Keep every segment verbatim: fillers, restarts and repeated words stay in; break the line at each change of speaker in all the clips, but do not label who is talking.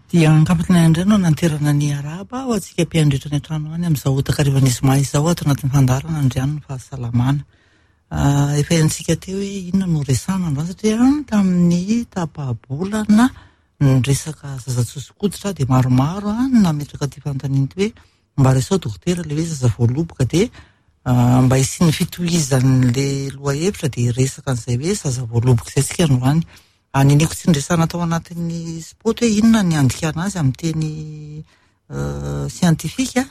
Dia ankapotina indray no nanterana ny araba ho antsika mpiandritra ny an-trano any amin'izao takarivan'ny zoma izao ato anatin'ny fandaharana Andriano ny fahasalamana. Efa henontsika teo hoe inona no resahana androany satria tamin'ny tapa-bolana ny resaka zaza tsoso-koditra dia maromaro no nametraka ity fanontaniana ity hoe mba resao dokotera ilay hoe zaza voaloboka, dia mba hisian'ny fitohizan'le lohahevitra dia resaka an'izay hoe zaza voaloboka izay tsika androany. Niniko tsy niresahana tao anatin'ny spot hoe inona ny andikana azy amin'ny teny siantifika,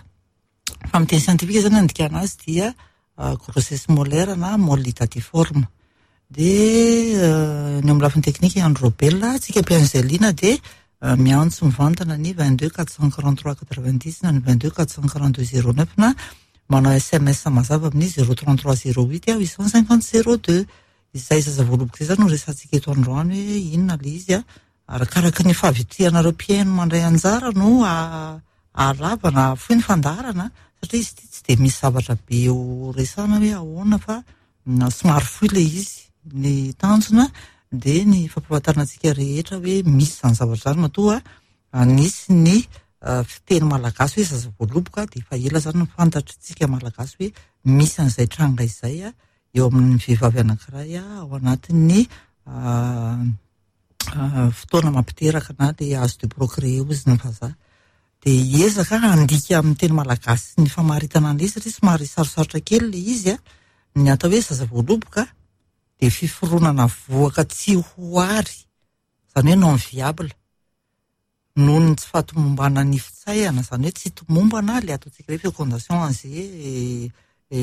fa amin'ny teny siantifika zany andikana azy dia grossesse molaire na môle hydatiforme. Dia ny amin'ny lafiny teknika Andro Robel, tsika mpihaino izay liana dia miantso mivantana ny vingt-deux quatre cent quarante-trois quatre-vingt-dix na ny vingt-deux quatre cent quarante-deux zéro neuf na manao S M S mazava amin'ny zéro trente-trois zéro huit huit cent cinquante zéro deux. Izay zaza voaloboka izay zany no resahantsika eto androany hoe inona ilay izy a, arakaraka ny fahavitrihanareo mpihaino mandray anjara no ahalava na ahafoy ny fandaharana, satria izy ity tsy dia misy zavatra be ho resahana hoe ahoana fa na somary fohy ilay izy. Ny tanjona dia ny fampahafantarana antsika rehetra hoe misy izany zavatra izany, matoa nisy ny fiteny malagasy hoe zaza voaloboka dia efa ela zany no fantatritsika malagasy hoe misy an'izay tranga izay a eo amin'ny vehivavy anankiray ao anatin'ny fotoana mampiteraka na dia âge de procréer hozy ny vazaha. Dia hiezaka handika amin'ny teny malagasy ny famaritana an'ilay izy satria somary sarosarotra kely ilay izy a. Ny atao hoe zaza voaloboka dia fiforonana vohoka tsy ho ary, izany hoe non viable, noho ny tsy fahatomombanan'ny fitsaihana, izany hoe tsy tomombana ilay ataontsika hoe fécondation an'izay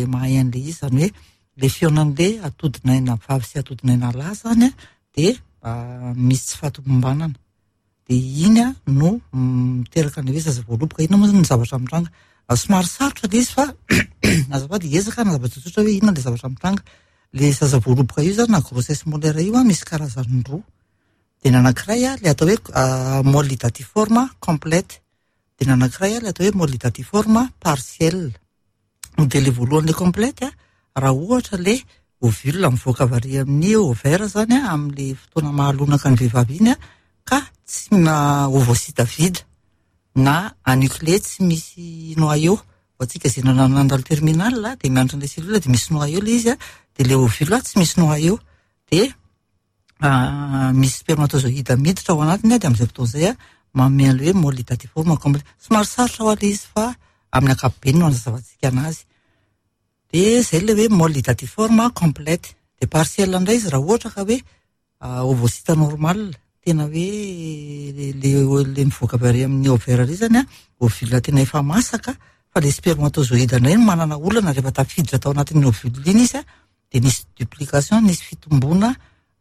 mahay an'ilay izy, izany hoe ilay fihaonan'ilay atodinaina vavy sy atodinaina lahy zany a dia misy tsy fahatomombanana. Dia iny a no miteraka an'ilay hoe zaza voaloboka. Inona moa zany ny zavatra mitranga? Somary sarotra ilay izy fa azafady hiezaka hanazava tsotsotra hoe inona ilay zavatra mitranga. Ilay zaza voaloboka io zany na grossesse molaire io a misy karazany roa. Dia ny anankiray a ilay atao hoe môle hydatiforme complète, dia ny anankiray a ilay atao hoe môle hydatiforme partielle. Dia ilay voalohany ilay complète a, raha ohatra ilay ovule mivoaka avy ary amin'ny ovaire zany a amin'ilay fotoana mahalonaka ny vehivavy iny a, ka tsy na ovocyte vide na anucléé tsy misy noyau. Ho antsika izay nandalo terminal dia miandry an'ilay cellule dia misy noyau ilay izy a, dia ilay ovule tsy misy noyau, dia misy spermatozoïde miditra ao anatiny a, dia amin'izay fotoana izay a manome an'ilay hoe môle hydatiforme complète. Somary sarotra ho ahy ilay izy fa amin'ny ankapobeny no anazavantsika anazy. Dia izay ilay hoe môle hydatiforme complète. Dia partielle indray izy raha ohatra ka hoe ovocyte normal, tena hoe le, le mivoaka avy ary amin'ny ovaire ary zany a, ovule tena efa masaka, fa le spermatozoïde indray no manana olana rehefa tafiditra tao anatin'ny ovule iny izy a, dia nisy duplication, nisy fitomboana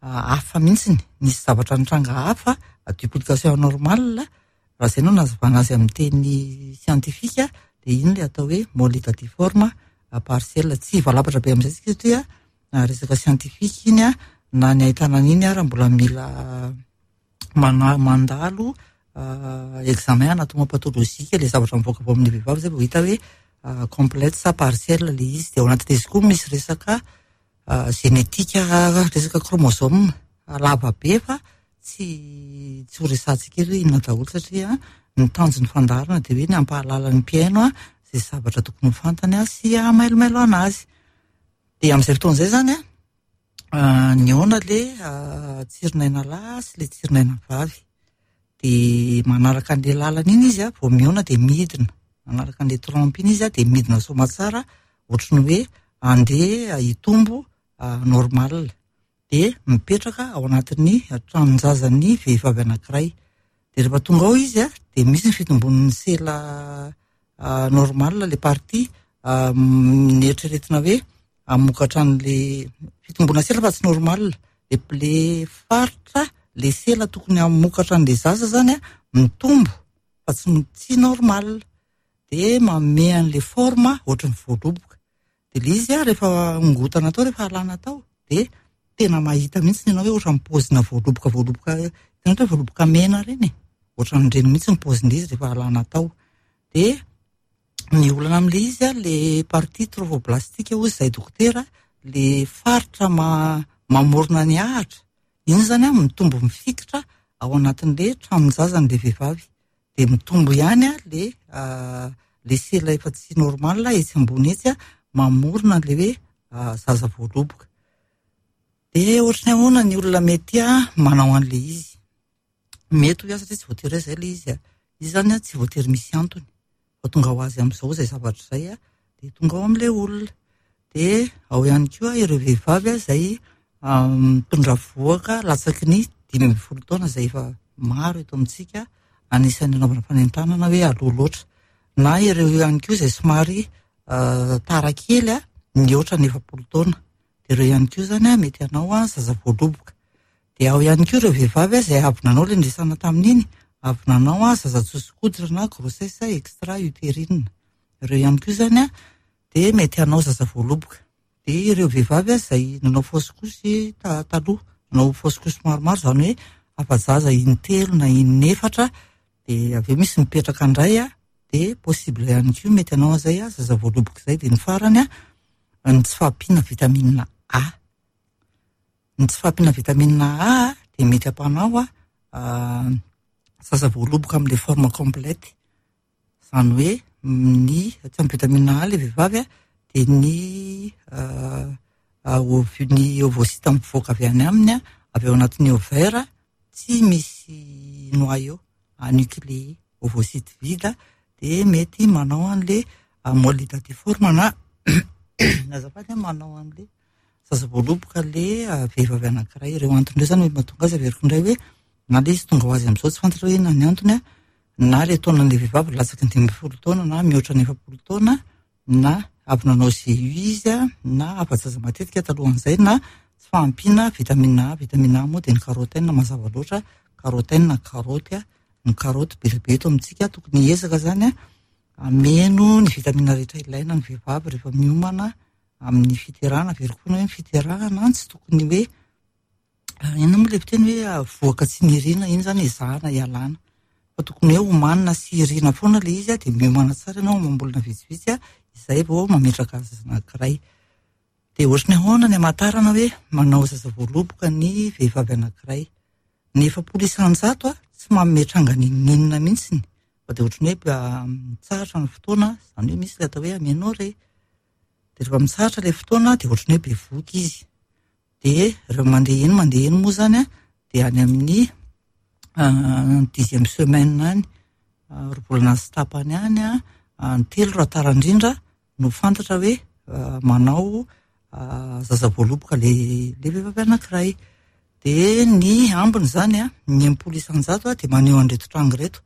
hafa mihitsiny, nisy zavatra nitranga hafa, duplication anormale. Raha izay no nazavana azy amin'ny teny siantifika, dia iny ilay atao hoe môle hydatiforme partielle. Tsy valabatra be amin'izay tsika satria resaka siantifika iny a, na ny ahitana an'iny ara mbola mila mana-, mandalo examen anatomopatholojika ilay zavatra mivoaka avy amin'ny vehivavy izay vao hita hoe complète sa partielle ilay izy. Dia ao anatin'izy koa misy resaka genetika, resaka chromosome lava be fa tsy, tsy ho resahantsika eto hoe inona daholo satria ny tanjon'ny fandaharana dia hoe ny hampahalala ny mpihaino a izay zavatra tokony ho fantany a sy hamailomailo anazy. Dia amin'izay fotoana izay zany a, nihaona ilay tsirinaina lahy sy ilay tsirinaina vavy. Dia manaraka an'ilay lalana iny izy a, vao mihaona dia midina. Manaraka an'ilay trompe iny izy a, dia midina soamatsara ohatry ny hoe andeha hitombo normal. Dia mipetraka ao anatin'ny tranon-jazan'ny vehivavy anankiray. Dia rehefa tonga ao izy a, dia misy ny fitombon'ny sela normal, ilay partie nieritreretina hoe hamokatra an'ilay fitombona sela fa tsy normal. Ilay faritra, ilay sela tokony hamokatra an'ilay zaza zany a, mitombo fa tsy, tsy normal. Dia manome an'ilay forme ohatry ny voaloboka. Dia ilay izy a, rehefa ongotana tao, rehefa alana tao, dia tena mahita mihitsy ianao hoe ohatran'ny paozina voaloboka, voaloboka, hitanao hoe voaloboka mena ireny e, ohatran'ireny mihitsy ny paozin'ilay izy rehefa alana tao. Dia ny olana amin'ilay izy a, ilay partie trophoblastique hozy izay dokotera, ilay faritra ma-, mamorona ny ahitra, iny zany a mitombo mifikitra ao anatin'ilay tranon-jazan'ilay vehivavy. de mitombo ihany a le le sela efa tsy normal etsy ambony etsy a, mamorona an'le hoe zaza voaloboka. De ohatry ny ahoana ny olona mety a manao an'le izy? Mety ho satria tsy voatery hoe zay le izy a. Izy zany a tsy voatery misy antony. Fa tonga ho azy amin'izao zay zavatra izay a, de tonga ao amin'ilay olona. De ao ihany koa ireo vehivavy a izay mitondra vohoka latsaky ny dimy ambin'ny folo taona izay efa maro eto amintsika, anisan'ny anaovana fanentanana hoe aloha loatra. Na ireo ihany koa izay somary tara kely a, mihoatra ny efapolo taona. De ireo ihany koa zany a mety hanao a zaza voaloboka. De ao ihany koa ireo vehivavy a izay avy nanao ilay niresahana tamin'iny, avy nanao a zaza tsoso-koditra na grossesse extra-utérine. Ireo ihany koa zany a de mety hanao zaza voaloboka. De ireo vehivavy a izay nanao fausse couche taloha, nanao fausse couche maromaro, zany hoe afa-jaza intelo na inefatra, de avy eo misy mipetraka indray a, de possible ihany koa mety hanao an'izay a zaza voaloboka izay. De ny farany a, ny tsy fahampiana vitamine A. Ny tsy fahampiana vitamine A de mety hampanao a zaza voaloboka amin'ilay forme complète. Zany hoe ny tsy ampy vitamine A le vehivavy a, de ny ny ovocyte mivoaka avy any aminy a, avy ao anatin'ny ovaire tsy misy noyau anucléé, ovocyte vide, de mety manao an'le môle hydatiforme na azafady manao an'le zaza voaloboka le vehivavy anankiray. Ireo antony ireo zany mahatonga azy averiko indray hoe na le izy tonga ho azy amin'izao tsy fantatra hoe inona ny antony a, na le taonan'le vehivavy latsaky ny dimy ambin'ny folo taona na mihoatra ny efapolo taona, na avy nanao G U izy a, na afa-jaza matetika talohan'izay, na tsy fahampiana vitamine A. Vitamine A moa de ny carotène mazava loatra, carotène karaoty a, ny karaoty be dia be eto amintsika. Tokony hiezaka zany a hameno ny vitamine rehetra ilaina ny vehivavy rehefa miomana amin'ny fiterahana. Averiko foana hoe ny fiterahana tsy tokony hoe inona moa le fiteny hoe vohoka tsy nirina, iny zany ezahana hialana, fa tokony hoe homanina sy irina foana le izy a, de miomana tsara ianao amam-bolana vitsivitsy a, izay vao mametraka zaza anankiray. De ohatry ny ahoana ny hamantarana hoe manao zaza voaloboka ny vehivavy anankiray? Ny efapolo isan-jato a tsy manome tranga n'inon'inona mihitsiny, fa de ohatry ny hoe mitsahatra ny fotoana, zany hoe misy le atao hoe aménorrhée. De rehefa mitsahatra le fotoana de ohatry ny hoe bevohoka izy. De rehefa mandeha eny mandeha eny moa zany a, de any amin'ny dixième semaine any, roa volana sy tapany any a, ny telo raha tara indrindra no fantatra hoe manao zaza voaloboka le le vehivavy anankiray. De ny ambiny zany a, ny enimpolo isan-jato a, de maneho an'ireto tranga ireto.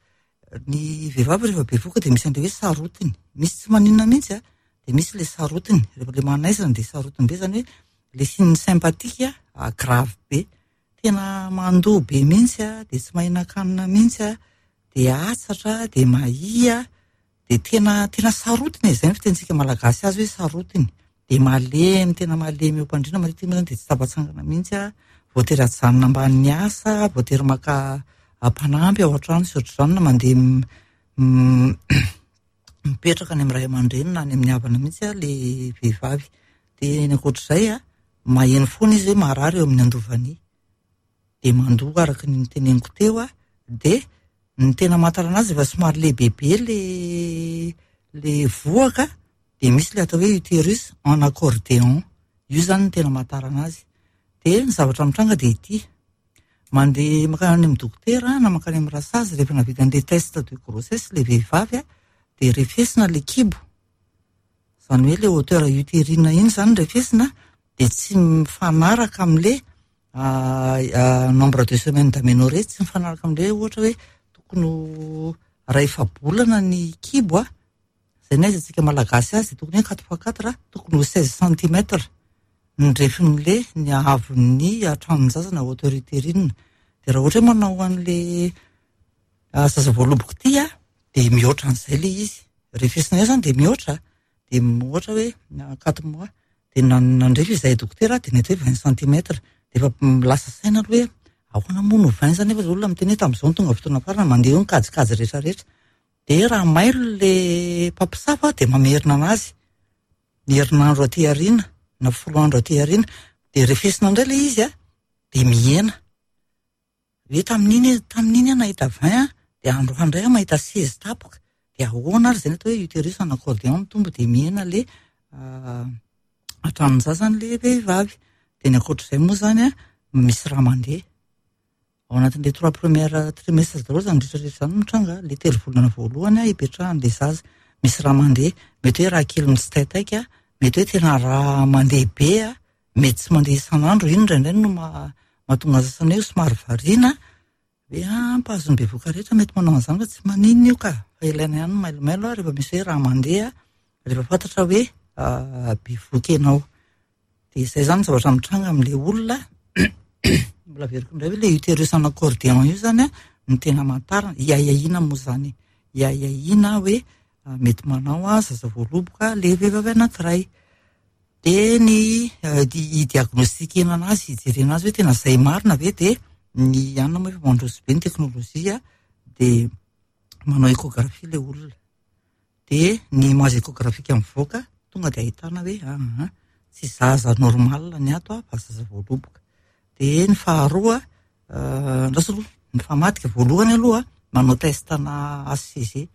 Ny vehivavy rehefa bevohoka de misy an'ilay hoe sarotiny, misy tsy maninona mihitsy a, de misy le sarotiny, rehefa le manaizana de sarotiny be, zany hoe le signe sympathique a grave be, tena mandoa be mihitsy a, de tsy mahinan-kanina mihitsy a, de atsatra, de mahia, de tena tena sarotiny e, zay ny fitenintsika malagasy azy hoe sarotiny. De malemy, tena malemy eo am-pandriana matetika moa zany, de tsy tafatsangana mihitsy a, voatery ajanona ambanin'ny asa, voatery maka mpanampy ao an-trano sy ohatr'izany, na mandeha mipetraka any amin'ny ray aman-dreny na any amin'ny havana mihitsy a le vehivavy. De ny ankoatr'izay a, maheno foana izy hoe marary eo amin'ny andovany, de mandoa araka ny niteneniko teo a. De ny tena mahatarana azy efa somary lehibebe le le vohoka, de misy le atao hoe utérus en accordéon, io zany ny tena mahatarana azy. De ny zavatra mitranga de ity, mandeha mankany amin'ny dokotera na mankany amin'ny rasazy rehefa nahavita an'le test de grossesse le vehivavy a, de refesina le kibo, zany hoe le hauteur utérine iny zany refesina, de tsy mifanaraka amin'le nombre de semaines d'aménorrhée, tsy mifanaraka amin'le ohatra hoe tokony ho ray efa-bolana ny kibo a, zay ny aiza malagasy azy tokony hoe quatre fois quatre, tokony ho seize centimètres ny refin'le ny haavon'ny tranon-jaza na hauteur utérine. De raha ohatra hoe manao an'le zaza voaloboka ity a, de mihoatra an'izay le izy, refesina eo zany de mihoatra, de ohatra hoe quatre mois, de nandrefy izahay dokotera de nety hoe vingt centimètres, de efa lasa saina aloha hoe ahoana moa no vingt zany, nefa olona miteny hoe tamin'izao no tonga fotoana farany, mandeha eo ny kajikajy rehetrarehetra. De raha mailo le mpampisafa de mamerina anazy ny herinandro aty aoriana na folo andro aty aoriana, de refesina indray le izy a, de mihena. Hoe tamin'iny tamin'iny aho nahita vingt a, Dia androany indray aho mahita seize tapoka. Dia ahoana ary izay ny atao hoe utérus en accordéon mitombo dia mihena le tranon-jaza an'ilay vehivavy. Dia ny ankoatr'izay moa izany an, misy rà mandeha. Ao anatin'ilay trois premières trimestres daholo izany rehetra rehetra izany no mitranga. Ilay telo volana voalohany an, ipetrahan'ilay zaza. Misy rà mandeha. Mety hoe rà kely mitsitaitaika, mety hoe tena rà mandeha be, mety tsy mandeha isan'andro. Iny indraindray no mahatonga ny sasany hoe somary variana. Hoe ah, mpahazo ny bevoka rehetra mety manao an'izany fa tsy maninona io ka. Fa ilaina ihany ny mailomailo rehefa misy hoe rà mandeha, rehefa fantatra hoe bevoka ianao. Dia izay izany ny zavatra mitranga amin'ilay olona. Mbola averiko indray hoe ilay utérus en accordéon io izany an, no tena amantarana, iahiahiana moa izany. Iahiahiana hoe mety manao zaza voaloboka ilay vehivavy anankiray. Dia ny i-diagnostikena anazy, ijerena azy hoe tena izay marina ve, dia ny anona moa efa mandroso be ny teknôlôjia, dia manao échographie ilay olona. Dia ny image échographique mivoaka, tonga dia ahitana hoe ah, tsy zaza normal ny ato fa zaza voaloboka. Dia ny faharoa, andraso aloha, ny famadika voalohany aloha, manao test ana H C G.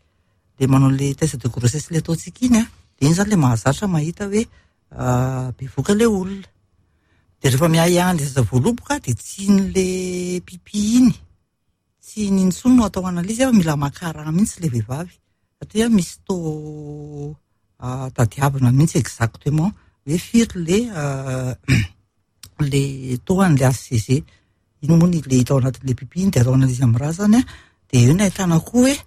Dia manao le test de grossesse le ataontsika iny an, dia iny izany le mahazatra mahita hoe bevoka ilay olona. Dia rehefa miahiahy an'ilay zaza voaloboka dia tsy iny le pipi iny, tsy iny intsony no atao analyse fa mila maka rà mihitsy ilay vehivavy. Satria misy taux tadiavina mihitsy exactement hoe firy le le taux an'ilay H C G. Iny moa ny le hita ao anatin'ilay pipi iny dia atao analyse amin'ny rà zany an. Dia eo no ahitana koa hoe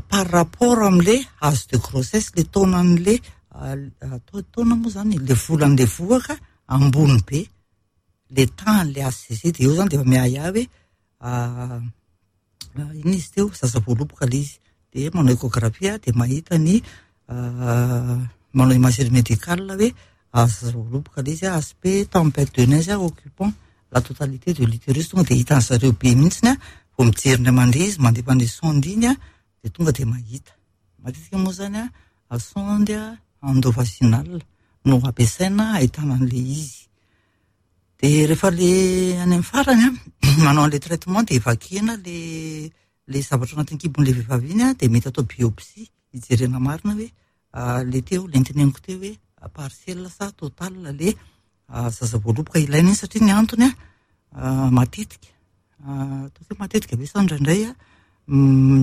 par rapport amin'ilay âge de grossesse, le taonan'ilay, taona moa zany, le volan'ilay vohoka ambony be, le tahan'ilay H C G. Dia eo zany dia efa miahiahy hoe inona izy teo, zaza voaloboka ilay izy. Dia manao échographie dia mahita ny manao imagerie médicale hoe zaza voaloboka ilay izy, aspect tempête de neige occupant la totalité de l'utérus. Tonga dia hitan'ny zareo be mihitsiny an, vao mijery indray mandeha izy, mandefa an'ilay sonde iny an, dia tonga dia mahita. Matetika moa zany an, sonde endovaginale no ampiasaina ahitana an'ilay izy. Dia rehefa le any amin'ny farany an, manao an'ilay traitement dia vakiana le le zavatra anatin'ny kibon'ilay vehivavy iny an, dia mety atao biopsie hijerena marina hoe le teo, le noteneniko teo hoe partiel sa total le zaza voaloboka ilaina iny, satria ny antony an, matetika, ataoko hoe matetika be sa indraindray an,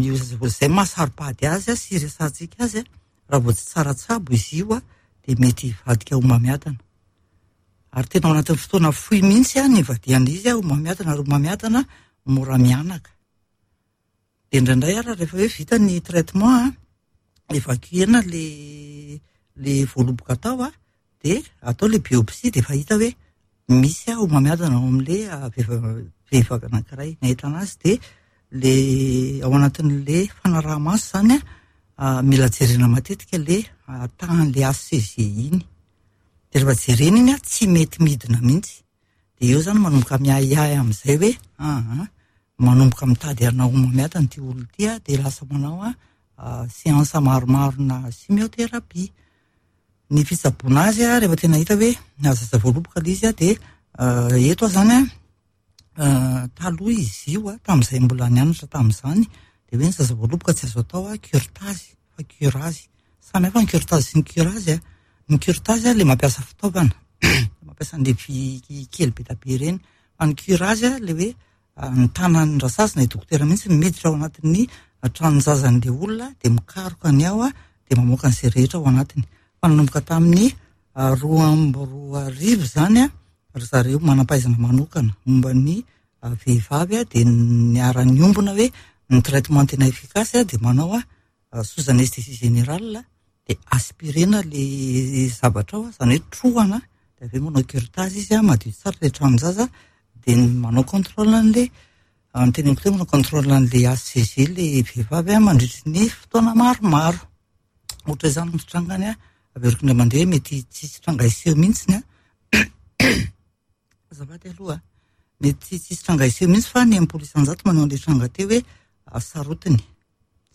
io zaza voaloboka izay mahasaro-pady azy sy resahantsika azy an, raha vao tsy tsara tsabo izy io an, dia mety hivadika homamiadana. Ary tena ao anatin'ny fotoana fohy mihitsy an, ny ivadihan'izy an, homamiadana, ary homamiadana mora mianaka. Dia indraindray ary rehefa hoe vita ny traitement an, évacuena le le voaloboka atao an, dia atao le biopsie dia efa hita hoe misy homamiadana ao amin'ilay vehivavy anankiray. Ny ahitana azy dia le ao anatin'le fanaraha-maso zany an, mila jerena matetika le tahan'le H C G iny. Dia rehefa jerena iny an, tsy mety midina mihitsy. Dia eo zany manomboka miahiahy amin'izay hoe ah, manomboka mitady hanao homamiadana ity olona ity an, dia lasa manao an séance maromaro na chimiothérapie. Ny fitsaboana azy an, rehefa tena hita hoe zaza voaloboka ilay izy an, dia eto aho zany an, taloha izy io an, tamin'izay mbola nianatra tamin'izany, dia hoe ny zaza voaloboka tsy azo atao an, curetage fa curage. Samy hafa ny curetage sy ny curage an. Ny curetage an, ilay mampiasa fitaovana, mampiasa an'ilay vy kely be dia be ireny. Fa ny curage an, ilay hoe ny tanan'ny rasazy na dokotera mihitsy miditra ao anatin'ny tranon-jazan'ilay olona, dia mikaroka ny ao an, dia mamoaka an'izay rehetra ao anatiny. Fa nanomboka tamin'ny roa amby roa arivo izany an, ry zareo manam-pahaizana manokana momba ny vehivavy an, dia niara-niombona hoe ny traitement tena efficace an, dia manao an sous anesthésie générale, dia aspirena le zavatra ao, izany hoe trohana, dia avy eo manao curetage izy an, madio tsara ilay tranon-jaza, dia manao contrôle an'ilay, ny teneniko teo manao contrôle an'ilay H C G ilay vehivavy an, mandritry ny fotoana maromaro. Ohatra izany ny fitrangany an, averiko indray mandeha mety tsisy tranga hiseho mihitsy an. Azafady aloha, mety tsisy tranga hiseho mihitsy fa ny enimpolo isan-jato manao an'ilay tranga teo hoe sarotiny.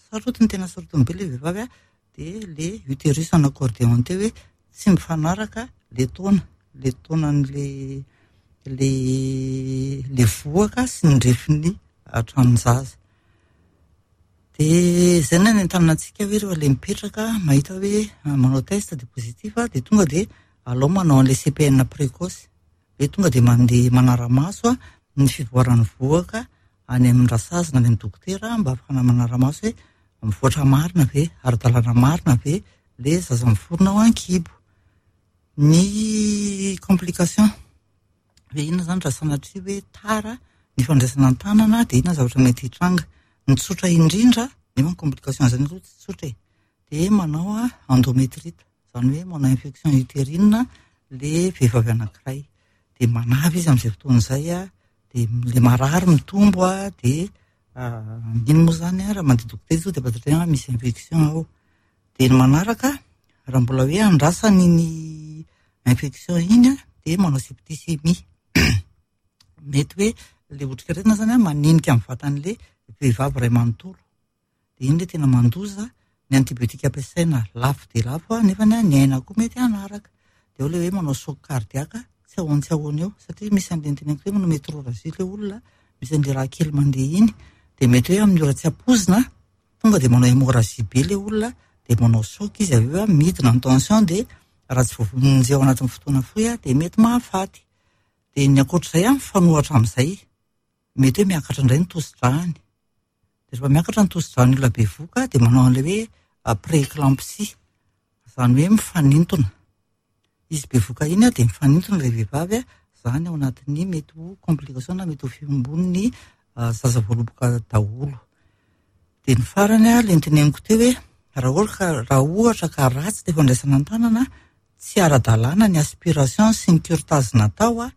Sarotiny, tena sarotiny be ilay vehivavy an, dia le utérus en accordéon teo hoe tsy mifanaraka le taona, le taonan'le le le vohoka sy ny refin'ny tranon-jaza. Dia izay no anentanana antsika hoe rehefa ilay mipetraka mahita hoe manao test dia positif dia tonga dia alao manao an'ilay C P N précoce. Hoe tonga dia mandeha manara-maso ny fivoaran'ny vohoka any amin'ny rasazina, any amin'ny dokotera mba ahafahana manara-maso hoe mivoatra marina ve, ara-dalàna marina ve le zaza miforona ao an-kibo. Ny complication hoe inona izany raha sanatria hoe tara ny fandraisana an-tanana dia inona zavatra mety hitranga. Ny tsotra indrindra, nefa ny complication izany aloha tsy tsotra e, dia manao endométrite, izany hoe manao infection utérine le vehivavy anankiray. Dia manavy izy amin'izay fotoana izay a, dia le marary mitombo a, dia iny moa izany a, raha mandeha dokotera izy dia fantatra hoe misy infection ao. Dia ny manaraka, raha mbola hoe andrasany iny infection iny a, dia manao septicémie. Mety hoe le otrikaretina izany a, manenika amin'ny vatan'le vehivavy iray manontolo. Dia iny le tena mandoza, ny antibiotika ampiasaina lafo dia lafo a, nefa ny aina koa mety hanaraka. Dia eo le hoe manao choc cardiaque, tsy ahoany tsy ahoany eo, satria misy an'ilay niteneniko hoe manao métrorragie le olona, misy an'ilay raha kely mandeha iny, dia mety hoe amin'ny ora tsy ampoizina, tonga dia manao hémorragie be le olona, dia manao choc izy avy eo a, midina ny tension, dia raha tsy voavonjy ao anatin'ny fotoana fohy a, dia mety mahafaty. Dia ny ankoatr'izay a, mifanohitra amin'izay, mety hoe miakatra indray ny tosi-dràny. Dia rehefa miakatra ny tosi-dràn'ny olona bevohoka, dia manao an'ilay hoe prééclampsie, izany hoe mifanintona. Izy bevohoka iny a, dia mifanintona ilay vehivavy a, izany ao anatin'ny mety ho complication na mety ho fihombon'ny zaza voaloboka daholo. Dia ny farany a, ilay noteneniko teo hoe raha ohatra ka, raha ohatra ka ratsy ilay fandraisana an-tanana, tsy ara-dalàna ny aspiration sy ny curetage natao a,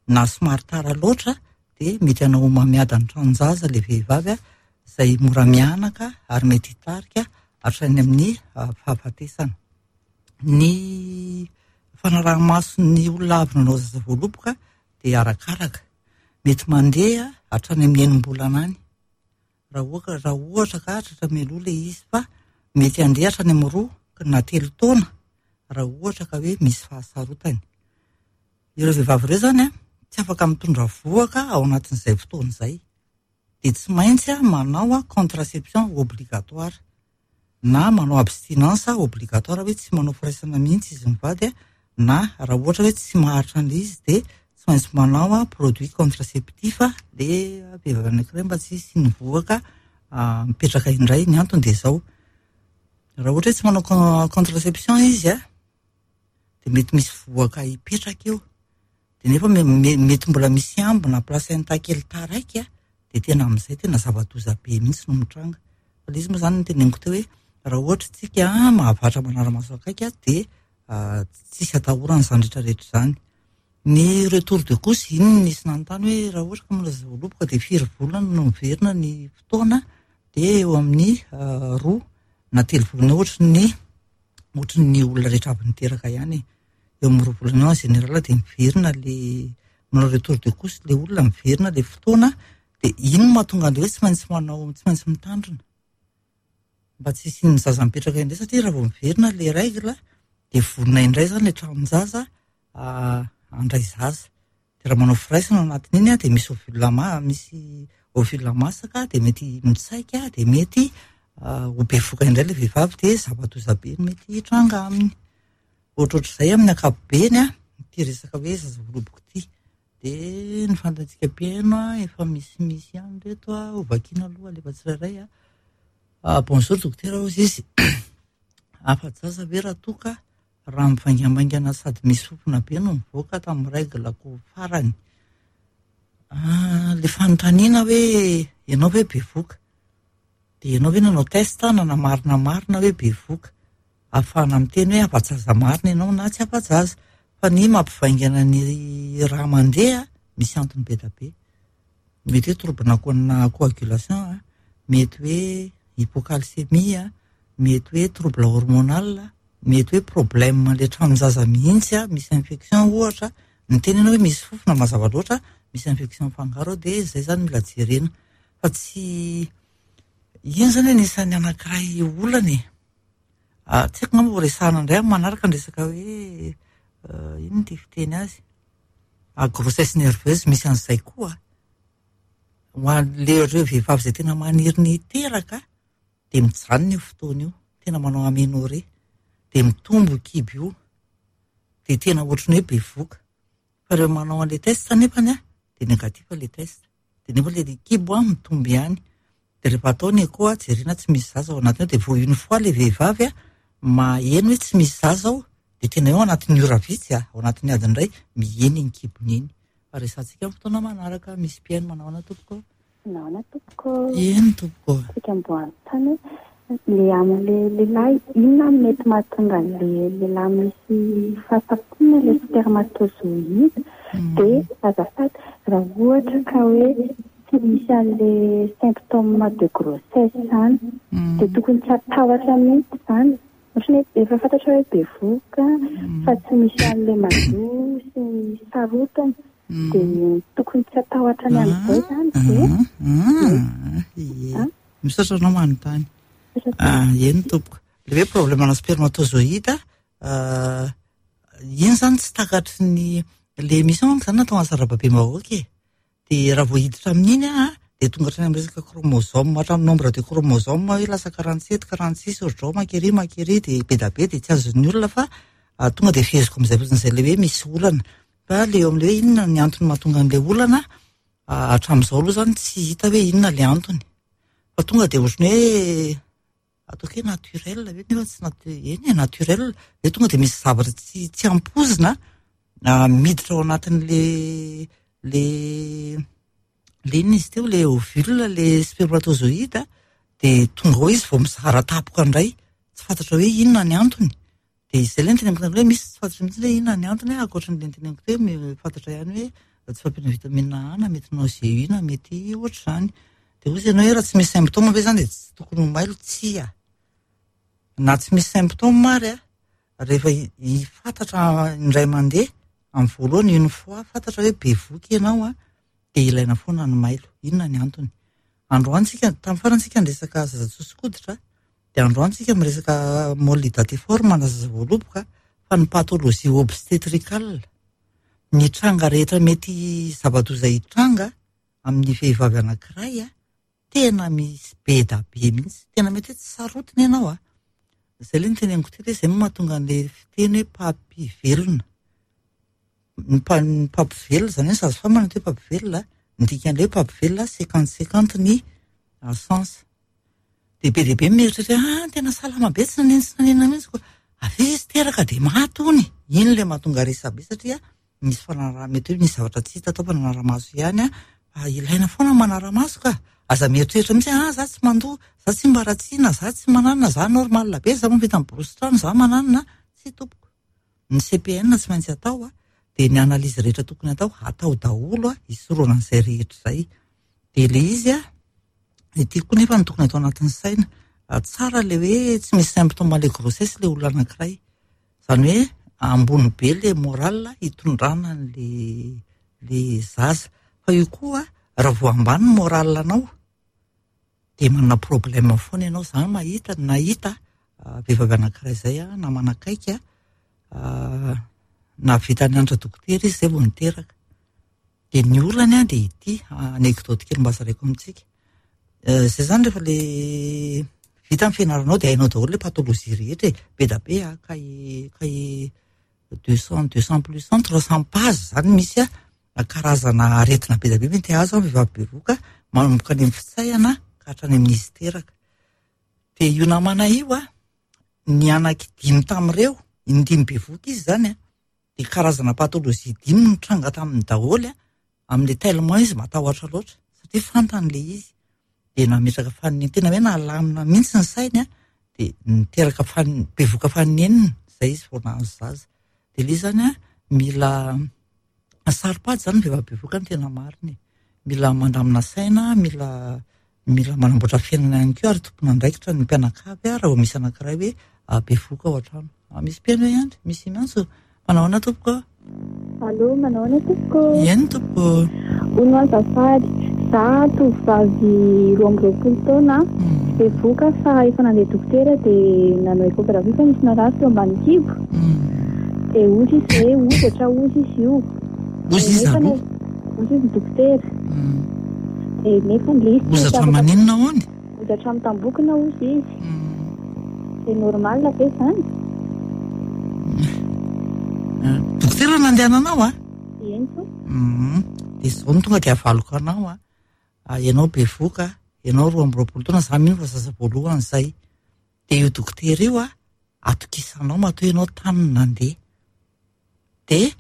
na somary tara loatra, dia mety hanao homamiadan'ny tranon-jaza ilay vehivavy a, izay mora mianaka ary mety hitarika hatrany amin'ny fahafatesana. Ny fanaraha-maso ny olona avy nanao zaza voaloboka dia arakaraka. Mety mandeha hatrany amin'ny enim-bolana any. Raha ohatra, raha ohatra ka tratra mialoha ilay izy, fa mety handeha hatrany amin'ny roa na telo taona raha ohatra ka hoe misy fahasarotany. Ireo vehivavy ireo izany a, tsy afaka mitondra vohoka ao anatin'izay fotoana izay. Dia tsy maintsy a, manao a contraception obligatoire na manao abstinence obligatoire hoe tsy manao firaisana mihitsy izy mivady a, na raha ohatra hoe tsy maharitra an'ilay izy dia tsy maintsy manao a produit contraceptif a, le vehivavy anankiray mba tsy hisy ny vohoka mipetraka indray. Ny antony dia izao, raha ohatra hoe tsy manao con-, contraception izy a, dia mety misy vohoka hipetraka eo, dia nefa me-, me-, mety mbola misy ambina placenta kely taraiky a, dia tena amin'izay tena zava-doza be mihitsy no mitranga. Fa ilay izy moa izany no teneniko teo hoe raha ohatra tsika mahavatra manara-maso akaiky a, dia tsisy atahorana izany rehetrarehetra izany. Ny retour de couche, iny no nisy nanontany hoe raha ohatra ka mbola zaza voaloboka dia firy volana no miverina ny fotoana, dia eo amin'ny roa na telo volana eo, ohatry ny, ohatry ny olona rehetra avy niteraka ihany. Eo amin'ny roa volana eo en général dia miverina le manao retour de couche le olona, miverina le fotoana, dia iny no mahatonga an'ilay hoe tsy maintsy manao, tsy maintsy mitandrina mba tsy hisian'ny zaza mipetraka indray, satria raha vao miverina le règle dia vonona indray izany le tranon-jaza handray zaza. Dia raha manao firaisana ao anatin'iny a, dia misy ovule ma-, misy ovule masaka, dia mety mitsaika, dia mety ho bevohoka indray le vehivavy, dia zava-doza be no mety hitranga aminy. Ohatrohatr'izay amin'ny ankapobeny a, ity resaka hoe zaza voaloboka ity. Dia ny fantantsika mpihaino a, efa misimisy ihany reto a, ho vakiana aloha alefa tsirairay a. Ah, bonjour dokotera, hoy izy. Afa-jaza ve raha toa ka raha mivaingambaingana sady misy fofona be no mivoaka tamin'ny règle-ko farany? Ah, le fanontaniana hoe ianao ve bevohoka? Dia ianao ve nanao test nanamarina marina hoe bevohoka? Ahafahana miteny hoe afa-jaza marina ianao na tsy afa-jaza. Fa ny mampivaingana ny raha mandeha misy antony be dia be. Mety hoe trouble na coagulation, a, mety hoe hypocalcémie, a, mety hoe trouble hormonal, mety hoe problème le tranon-jaza mihitsy, a, misy infection ohatra. Ny teny ianao hoe misy fofona mazava loatra, misy infection mifangaro ao, dia izay izany mila jerena. Fa tsy iny izany anisan'ny anankiray olana e. Ah, tsy haiko angamba ho resahana indray amin'ny manaraka ny resaka hoe, euh, inona ty fiteny azy? Ah, grossesse nerveuse, misy an'izay koa. Ho an'le ireo vehivavy izay tena maniry ny hiteraka, de mijanona io fotoana io, tena manao aménorrhée, de mitombo io kibo io, de tena ohatran'ny hoe bevoka. Fa rehefa manao an'le test nefany a, de négatif le test, de nefa le kibo a mitombo ihany. De rehefa atao ny écho a, jerena tsy misy zaza ao anatiny ao, de vao une fois le vehivavy a maheno hoe tsy misy zaza ao, de tena eo anatin'ny ora vitsy a, ao anatin'ny adiny iray mihena iny kibony iny. Fa resahantsika amin'ny fotoana manaraka. Misy mpihaino, manao ahoana tompoko?
Nahoana tompoko?
Eny tompoko.
Tsika amboantany le amin'le lehilahy, inona mety mahatonga an'le lehilahy misy fahasafoana le spermatozoïde? De azafady, raha ohatra ka hoe tsy misy an'le symptôme de grossesse zany, de tokony tsy atahotra mihitsy zany, ohatra hoe efa fantatra hoe bevoka fa tsy misy an'le mandoa sy ny sarotiny, de tokony tsy atahotra ny amin'izay zany de
Ie, misaotra anao manontany. Eny tompoko. Le hoe problème ana spermatozoïde iny zany tsy takatry ny le émission manko zany natao an'sarababem-bahoaka e. De raha vao hiditra amin'iny a, de tonga hatrany amin'ny resaka chromosome, hatramin'ny nombre de chromosome hoe lasa quarante sept, quarante six, ohatr'izao makery makery, de be da be, de tsy azon'ny olona, fa tonga de feheziko amin'izay fotsiny zay le hoe misy olana. Fa le eo amin'le hoe inona ny antony mahatonga an'le olana, hatramin'izao aloha zany tsy hita hoe inona le antony, fa tonga de ohatrany hoe ataoko hoe naturel ve, nefa tsy natu- eny e, naturel hoe tonga de misy zavatra tsy tsy ampoizina miditra ao anatin'le le le inona izy teo, le ovule, le spermatozoïde, de tonga ao izy vao mizara tapoka indray, tsy fantatra hoe inona ny antony. De izay le niteneniko hoe misy tsy fantatra mihitsy hoe inona ny antony, ankoatran'le niteneniko teo hoe fantatra ihany hoe tsy fahampiana vitamine A, na mety nausée na mety ohatr'izany. De hoy izy ianao hoe raha tsy misy symptôme ve zany de tsy tokony ho mailo? Tsia, na tsy misy symptôme ary a, rehefa fantatra indray mandeha amin'ny voalohany, une fois fantatra hoe bevoka ianao a, de ilaina foana ny mailo. Inona ny antony? Androany tsika, tamin'ny farany tsika niresaka zaza tsotsokoditra, de androany tsika miresaka môle hydatiforme na zaza voaloboka, fa ny pathologie obstétricale, ny tranga rehetra mety zava-doza hitranga amin'ny vehivavy anankiray a, tena misy be da be mihitsy, tena mety hoe tsy sarotiny ianao a. Zay le niteneniko teo hoe zay no mahatonga an'le fiteny hoe mpampivelona. Ny mpa- ny mpampivelona zany hoe sage femme no atao hoe mpampivelona, ny dikan'le hoe mpampivelona, cinquante cinquante ny chance. De be dia be mieritreritra hoe ah, tena salama be, tsy nanino tsy nanino mihitsy ko, avy eo izy teraka de maty hony. Iny le mahatonga resabe, satria misy fanaraha, mety hoe misy zavatra tsy hita atao fa nanara-maso ihany a, fa ilaina foana manara-maso ka. Aza mieritreritra mihitsy hoe ah, za tsy mandoa, za tsy mba ratsiana, za tsy mananona, za normal be, za mahavita miborosy trano, za mananona. Tsy tompoko, ny C P N tsy maintsy atao a, de ny analyse rehetra tokony atao atao daholo a, hisorohana an'izay rehetra zay. De le izy a, ity koa nefa ny tokony atao anatin'ny saina tsara, le hoe tsy misy symptôme le grossesse le olona anankiray, zany hoe ambony be le moral hitondrana an'le le zaza. Fa io koa, raha vao ambany ny moral anao, de manana problème foana ianao. Za mahita, nahita vehivavy anankiray zay a, na manakaiky a, nahavita nianatra dokotera izy zay vao niteraka. De ny olany a, de ity anecdote kely mba zaraiko amintsika zay zany: rehefa le vita ny fianaranao, de hainao daholo le pathologie rehetra e, be da be a, cahier cahier deux cent deux cent plus cent trois cent page zany, misy a karazana aretina be da be mety azo a vehivavy bevoka, manomboka any amin'ny fitsaihana ka hatrany amin'izy teraka. De io namana io a, ny anaky dimy tamin'ireo, indimy bevoka izy zany a, de karazana pathologie dimy nitranga taminy daholo a, amin'le tellement izy matahotra loatra, satria fantany le izy, de nametraka faniny, tena hoe nalamina mihitsy ny sainy a, de niteraka fan- bevoka faninenina zay izy vao nahazo zaza. De le izy zany a, mila saro-pady zany vehivavy bevoka, ny tena marina e, mila mandamina saina, mila mila manamboatra fiainana ihany koa, ary tompon'andraikitra ny mpianakavy a, raha vao misy anankiray hoe bevoka ao an-trano. Misy mpihaino ihany, misy miantso. Manao ahoana tompoko?
Allô, manao ahoana tompoko?
Eny tompoko.
Ono azafady, za tovovavy roa amby roapolo taona, bevoka, fa efa nandeha dokotera dia nanao échographie fa nisy narary teo ambany kibo. Dia ozy izy hoe hozatra ozy izy io.
Ozy izy
Nefa
aloha?
Ozy izy ny dokotera. Dia nefa le izy
Hozatra maninona hoany?
Hozatra mitambokona hozy izy. C'est normal ve zany?
Dokotera nandehananao a?
Eny to.
De zao no tonga de avaloko anao a. Ianao bevoka, ianao roa amby roapolo taona, za mino fa zaza voalohany zay. De io dokotera io a, atokisanao matoa ianao tany nandeha. De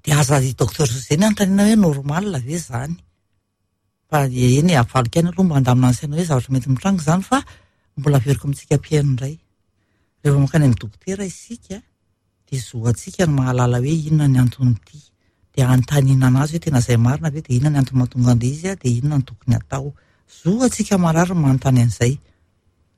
de aza docteur José ny anontaniana hoe normal ve zany. Fa eny avaloko ihany aloha mba handamina ny saina hoe zavatra mety mitranga zany, fa mbola averiko amintsika mpihaino indray. Rehefa mankany amin'ny dokotera isika de zo antsika ny mahalala hoe inona ny anton'ity. De anontaniana anazy hoe tena zay marina ve, de inona ny antony mahatonga an'ilay izy a, de inona ny tokony atao. Zo antsika marary ny manontany an'izay.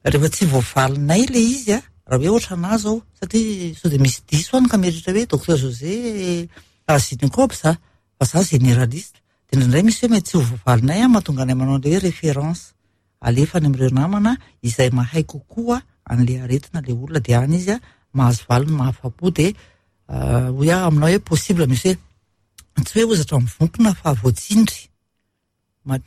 Rehefa tsy voavalinay le izy a, raha hoe ohatra anazy zao, satria sao de misy diso any ka mieritreritra hoe docteur José gynéco za, fa za généraliste. De indraindray misy hoe mety tsy ho voavalinay a, mahatonga anay manao an'ilay hoe référence. Alefa any amin'ireo namana izay mahay kokoa an'ilay aretina le olona, de any izy a mahazo valiny mahafa-po. De hoy aho aminao hoe possible misy hoe tsy hoe hozatra mivonkona fa voatsindry.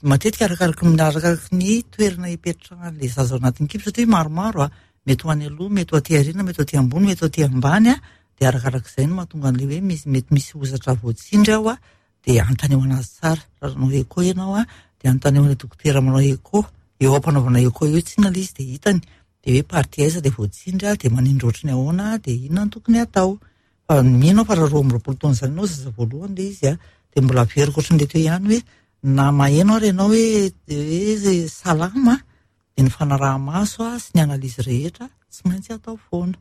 Matetika arakaraky ny arakaraky ny toerana ipetrahan'ilay zaza ao anatin'ny kibo, satria maromaro a, mety ho any aloha, mety ho aty aoriana, mety ho aty ambony, mety ho aty ambany a, de arakarak'izay no mahatonga an'ilay hoe misy mety misy hozatra voatsindry ao a, de anontanio anazy tsara. Raha nanao écho ianao a, de anontanio an'ilay dokotera manao écho. Eo am-panaovana écho eo tsinona ilay izy de hitany, de hoe partie aiza le voatsindry a, de manindry ohatry ny ahoana, de inona no tokony atao. Fa mino aho fa raha roa amby roapolo taona zany ianao zaza voalohany le izy a, de mbola averiko ohatran'ilay teo ihany hoe na maheno ary ianao hoe hoe salama, de ny fanaraha-maso a sy ny analyse rehetra tsy maintsy atao foana.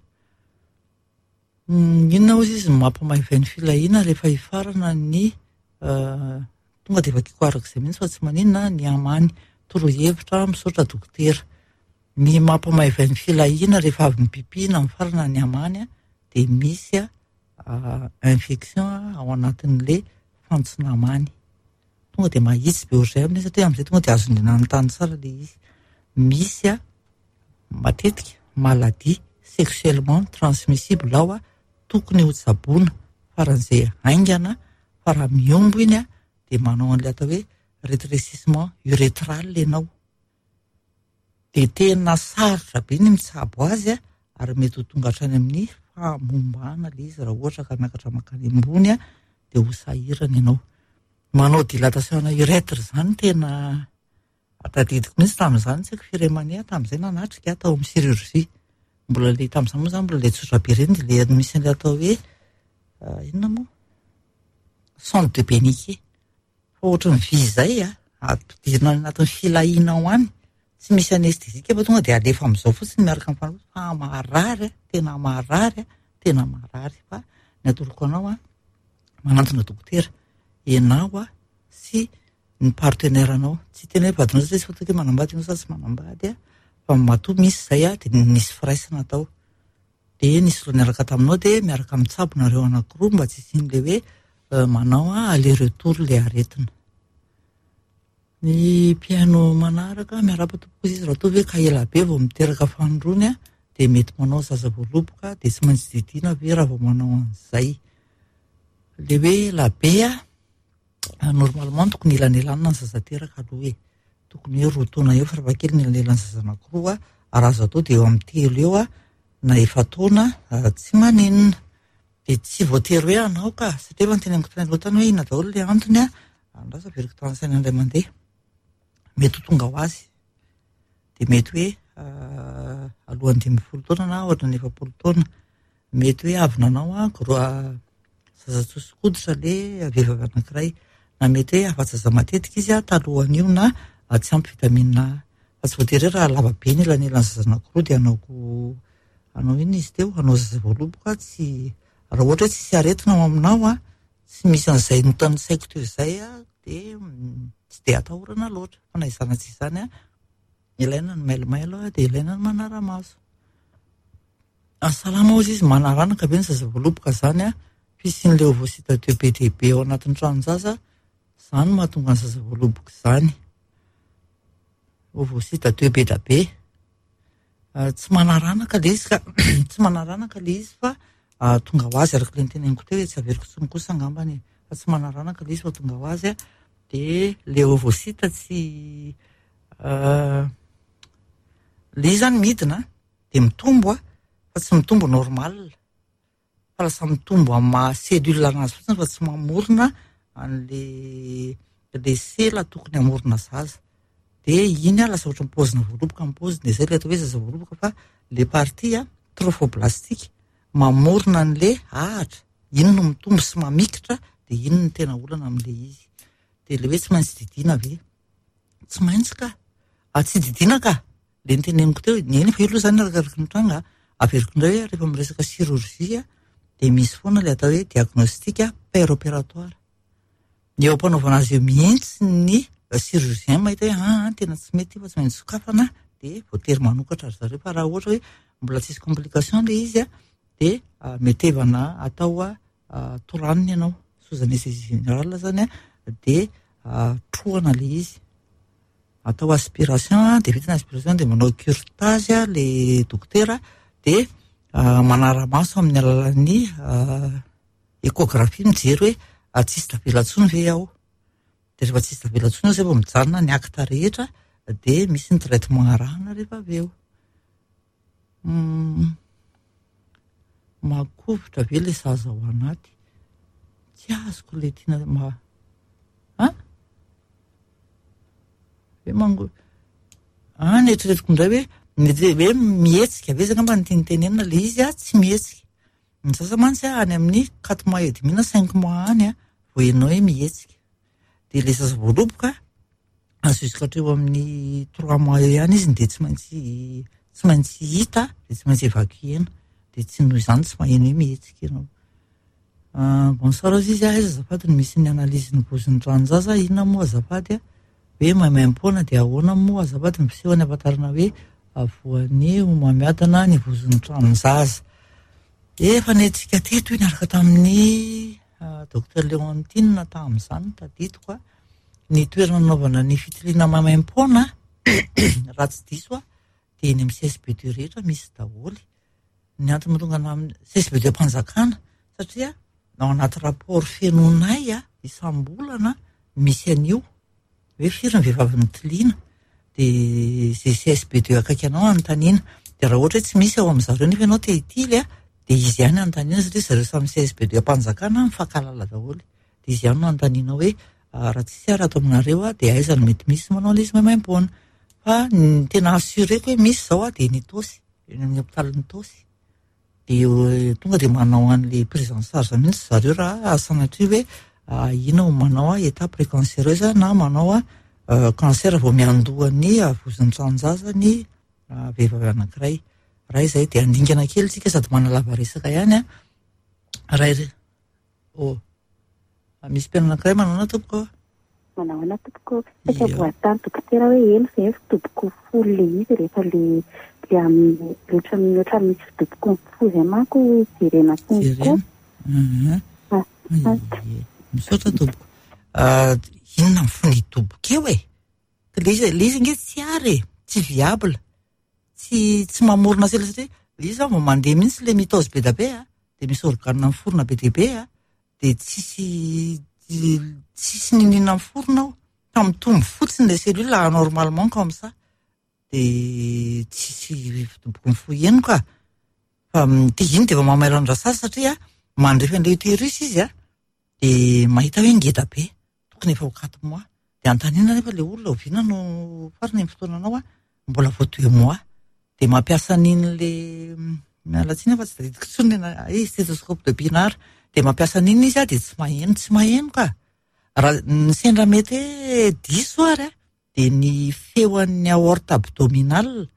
Inona hozy izy mampamaivay ny filahiana rehefa hifarana ny tonga de vakiko arak'izay mihitsy fa tsy maninona ny amany torohevitra, misaotra dokotera. Ny mampamaivay ny filahiana rehefa avy mipipi na mifarana ny amany a, de misy a infection ao anatin'le fantsona amany. Tonga de mahitsy be ohatr'izay amin'iny satria amin'izay tonga de azony nanontany tsara le izy. Misy a matetika maladie sexuellement transmissible ao a, tokony ho tsaboina faran'izay haingana, fa raha miombo iny a de manao an'ilay atao hoe rétrécissement urétral ianao. De tena sarotra be ny mitsabo azy a, ary mety ho tonga hatrany amin'ny fahamombana le izy raha ohatra ka miakatra mankany ambony a, de ho sahirana ianao. Manao dilatation urètre zany tena tadidiko mihitsy tamin'izany, tsy haiko firy mania tamin'izay nanatrika tao amin'ny chirurgie. Mbola le tamin'izany moa zany mbola le tsotra be ireny, de le misy an'ilay atao hoe inona moa? Sonde de Beniquet. Fa ohatran'ny vy izay a, ampidirina any anatin'ny filahiana ao any, tsy misy anesthésie fa tonga de alefa amin'izao fotsiny miaraka amin'ny fanafody, fa marary a, tena marary a, tena marary. Fa ny atoroko anao a, manantona dokotera ianao a sy ny partenaire anao. Tsy tena hoe vadinao satria tsy fantatra hoe manambady ianao sa tsy manambady a, fa matoa misy izay a, de nisy firaisana tao. De nisy olona niaraka taminao, de miaraka mitsabo nareo anankiroa mba tsy hisian'ilay hoe manao a aller retour le aretina. Ny mpihaino manaraka, miarahaba tompoko izy, raha toa ve ka ela be vao miteraka fanindroany a, de mety manao zaza voaloboka, de tsy maintsy didiana ve raha vao manao an'izay. Le hoe ela be a, normalement tokony elanelanina ny zaza teraka aloha e. Tokony hoe roa taona eo farafahakeliny ny elanelan'ny zaza anankiroa, raha azo atao de eo amin'ny telo eo a, na efa-taona tsy maninona. De tsy voatery hoe anao ka, satria efa noteneniko tany aloha tany hoe inona daholo le antony a, andraso averiko tany saina indray mandeha. Mety ho tonga ho azy. De mety hoe alohan'ny dimy ambin'ny folo taona na ohatran'ny efapolo taona. Mety hoe avy nanao a gros zaza tsotso-koditra le vehivavy anankiray, na mety hoe afa-jaza matetika izy a talohan'io na tsy ampy vitamine A. Fa tsy voatery hoe raha lava be ny elanelan'ny zaza anankiroa de hanao hanao inona izy teo, hanao zaza voaloboka. Tsy raha ohatra hoe tsisy aretina ao aminao a, tsy misy an'izay notanisaiko teo izay a, de tsy de atahorana loatra. Fa na izany na tsy izany a, ilaina ny mailomailo a, de ilaina ny manara-maso. Salama hozy izy, manaranaka ve ny zaza voaloboka zany a, fisian'ilay ovocyte deux be dia be ao anatin'ny tranon-jaza, zany no mahatonga ny zaza voaloboka izany. Ovocyte deux be da be. Tsy manaranaka le izy ka, tsy manaranaka le izy fa tonga ho azy araka ilay noteneniko teo, tsy averiko intsony kosa angambany e. Fa tsy manaranaka le izy fa tonga ho azy a, de le ovocyte tsy Le izy zany midina dia mitombo a, fa tsy mitombo normal. Fa lasa mitombo amin'ny maha cellule anazy fotsiny fa tsy mamorona an'le le sela tokony hamorona zaza. Dia iny a lasa ohatran'ny paozina voaloboka ny paoziny, dia izay ilay atao hoe zaza voaloboka, fa le partie a trophoblastique mamorona an'le ahatra, iny no mitombo sy mamikitra, dia iny no tena olana amin'le izy. Dia le hoe tsy maintsy didiana ve? Tsy maintsy ka. Ah, tsy didiana ka. Le niteneniko teo, ny eny fa io aloha zany arakaraka ny tranga, averiko indray hoe rehefa miresaka chirurgie dia misy foana le atao hoe diagnostic per-opératoire. Ny eo am-panaovana azy eo mihitsy ny chirurgien mahita hoe ah, tena tsy mety io fa tsy maintsy sokafana, dia voatery manokatra ry zareo. Fa raha ohatra hoe mbola tsisy complication le izy a, dia metevana atao a toranina ianao, sous anesthésie générale zany a, dia trohana le izy. Atao aspiration, dia vita ny aspiration dia manao curetage le dokotera, dia manara-maso amin'ny alalan'ny échographie mijery hoe tsisy tavela intsony ve ao. Dia rehefa tsisy tavela intsony ao zay vao mijanona ny acte rehetra, dia misy ny traitement arahana rehefa avy eo. Mahakovitra ve le zaza ao anaty? Tsy azoko le tiana ma ah? Hoe mango ah, ny eritreretiko indray hoe mety hoe mihetsika ve zany angamba ny tiany tenenina, le izy a tsy mihetsika. Ny zaza mantsy a any amin'ny quatre mois et demi na cinq mois any a vao henao hoe mihetsika. Dia le zaza voaloboka azo jusqu'à hatreo amin'ny trois mois eo ihany izy dia tsy maintsy tsy maintsy hita, dia tsy maintsy évacuena. Dia tsy noho izany tsy maheno hoe mihetsika ianao. Bonsoir izy, aiza azafady no misy ny analyse ny vozon'ny tranon-jaza, inona moa azafady a? Hoe maimaimpoana dia ahoana moa azafady ny fisehony ahafantarana hoe voan'ny homamiadana ny vozon'ny tranon-jaza? Efa netsika teto io niaraka tamin'ny docteur Léontine tamin'izany tadidiko a. Ny toerana nanaovana ny fitiliana maimaimpoana raha tsy diso a dia eny amin'ny C S B deux rehetra misy daholo. Ny antony mahatonga ana amin'ny C S B deux am-panjakana satria ao anaty rapport fenonay a isam-bolana misy an'io hoe firy ny vehivavy nitiliana, dia izay C S B deux akaiky anao anontaniana. Dia raha ohatra hoe tsy misy ao amin'ny zareo nefa ianao te hitily a, dia izy ihany anontaniana satria zareo samy C S B deux am-panjakana mifankahalala daholo. Dia izy ihany no anontaniana hoe raha tsisy ary ato aminareo a, dia aiza no mety misy manao ilay izy maimaimpoana. Fa ny tena assureko hoe misy izao a, dia ny Itaosy, eny amin'ny hôpitalin'ny Itaosy. Dia tonga dia manao an'ilay prise en charge mihitsy zareo raha sanatria hoe inona no manao état précancéreuse na manao cancer vao miandoha ny vozon'ny tranon-jaza ny vehivavy anankiray. Raha izay dia handingana kely tsika sady manalava resaka ihany a. Raha ire- oh. Misy mpihaino anankiray manao ahoana tompoko?
Manao ahoana tompoko? Saika voatany dokotera hoe eny ve fidoboko fo le izy rehefa le le amin'ny ohatran'ny ohatran'ny misy fidoboko fo izay manko jerena konko.
Jerena. Misaotra tompoko. Inona ny fo nidoboka eo e? Le izy le izy ange tsy ary e, tsy viable. Tsy tsy mamorona sela satria le izy vao mandeha mihitsy le mitose be da be a, dia misy organe miforona be dia be a, dia tsisy tsisy n'inona miforona ao. Fa mitombo fotsiny le cellule anormalement comme ça. Dia tsisy fidoboky ny fo heno ka. Fa dia iny dia efa mamailo an-drasazy satria mandrefy an'ilay utérus izy a, dia mahita hoe ngeda be, tokony efa ho quatre mois. Dia anontaniana nefa le olona oviana no farany amin'ny fotoananao a, mbola vao deux mois. Dia mampiasa an'iny le miala tsiny fa tsy tadidiko intsony le stéthoscope de Pinard. Dia mampiasa an'iny izy a, dia tsy maheno, tsy maheno ka. Raha ny sendra mety hoe diso ary a, dia ny feon'ny aorte abdominale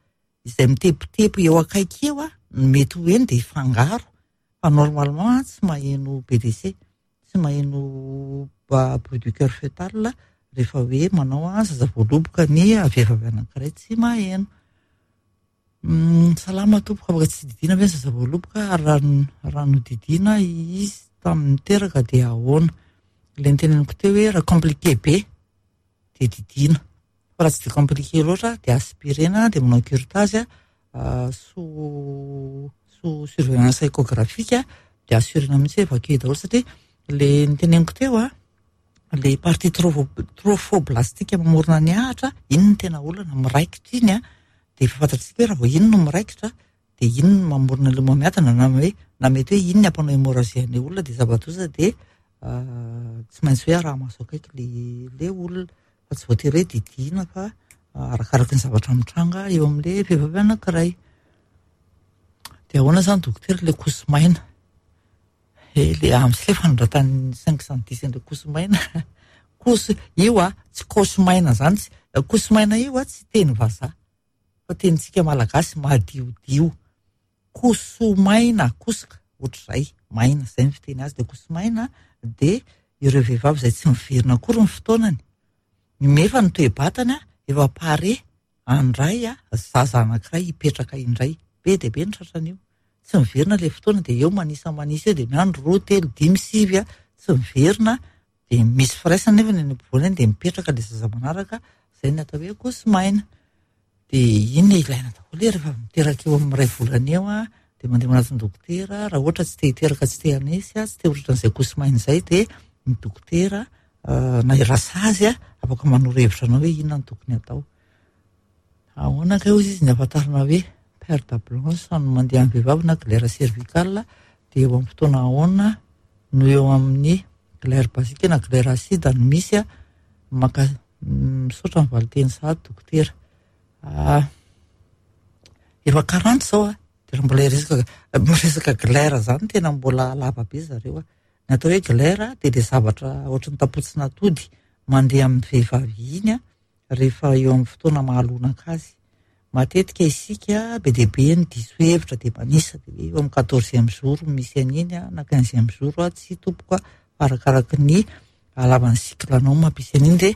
izay mitepotepy eo akaiky eo a, no mety ho heno dia hifangaro. Fa normalement tsy maheno B D C, tsy maheno bruit du cœur fœtal rehefa hoe manao zaza voaloboka ny vehivavy anankiray tsy maheno. Salama tompoko, afaka tsy didiana ve ny zaza voaloboka? Ary raha nodidiana izy tamin'ny teraka dia ahoana? Ilay niteneniko teo hoe raha compliqué be dia didiana, fa raha tsy dia compliqué loatra dia aspirena, dia manao curetage sous sous surveillance échographique, dia assurena mihitsy hoe évacué daholo satria le niteneniko teo a, Le partie trophoblastique mamorona ny ahitra, iny no tena olana, miraikitra iny a, dia efa fantatsika hoe raha vao iny no miraikitra dia iny no mamorona le homamiadana, na hoe na mety hoe iny ny ampanao hémorragie an'ilay olona, dia zava-doza dia tsy maintsy hoe araha-maso akaiky le le olona, fa tsy voatery hoe didiana fa arakaraky ny zavatra mitranga eo amin'ilay vehivavy anankiray. Dia ahoana izany dokotera ilay kosomaina? E, le amin'izay le fanoratan'ny cinq cent dix an'ilay kosomaina. Koso io a, tsy kosomaina zany, tsy kosomaina io a, tsy teny vazaha fa tenintsika malagasy madiodio. Kosomaina, kosoka ohatr'izay, maina, izay ny fiteny azy. Dia kosomaina dia ireo vehivavy izay tsy miverina akory ny fotoanany, nefa ny toe-batany efa pare handray a zaza anankiray hipetraka indray. Be dia be ny tratran'io. Tsy miverina ilay fotoana dia eo manisa manisa eo dia miandry roa, telo, dimy, sivy a, tsy miverina, dia misy firaisana nefa ny any ampovoany any dia mipetraka ilay zaza manaraka, izay ny atao hoe kosomaina. Dia iny ilaina daholo rehefa miteraka eo amin'ny iray volana eo a, dia mandeha manatona dokotera, raha ohatra tsy te hiteraka, tsy te hanesy a, tsy te ho tratran'izay kosomaina izay, dia ny dokotera na i rasazy a afaka manoro hevitra anao hoe inona no tokony atao. Ahoana kay hozy izy ny ahafantarana hoe perte blanche no mandeha amin'ny vehivavy na glaire cervicale, dia eo amin'ny fotoana ahoana no eo amin'ny glaire basique na glaire acide no misy a? Maka misaotra ny valinteny sahady dokotera. Ah, efa quarante izao a, dia raha mbola hiresaka miresaka glaire zany tena mbola lava be zareo a. Ny atao hoe glaire dia le zavatra ohatry ny tapotsin'atody mandeha amin'ny vehivavy iny a, rehefa eo amin'ny fotoana mahalonaka azy. Matetika isika be dia be ny diso hevitra dia manisa dia hoe eo amin'ny quatorzième jour misy an'iny a, na quinzième jour a, tsy tompoko a, fa arakaraky ny halavan'ny cycle anao mampisy an'iny, dia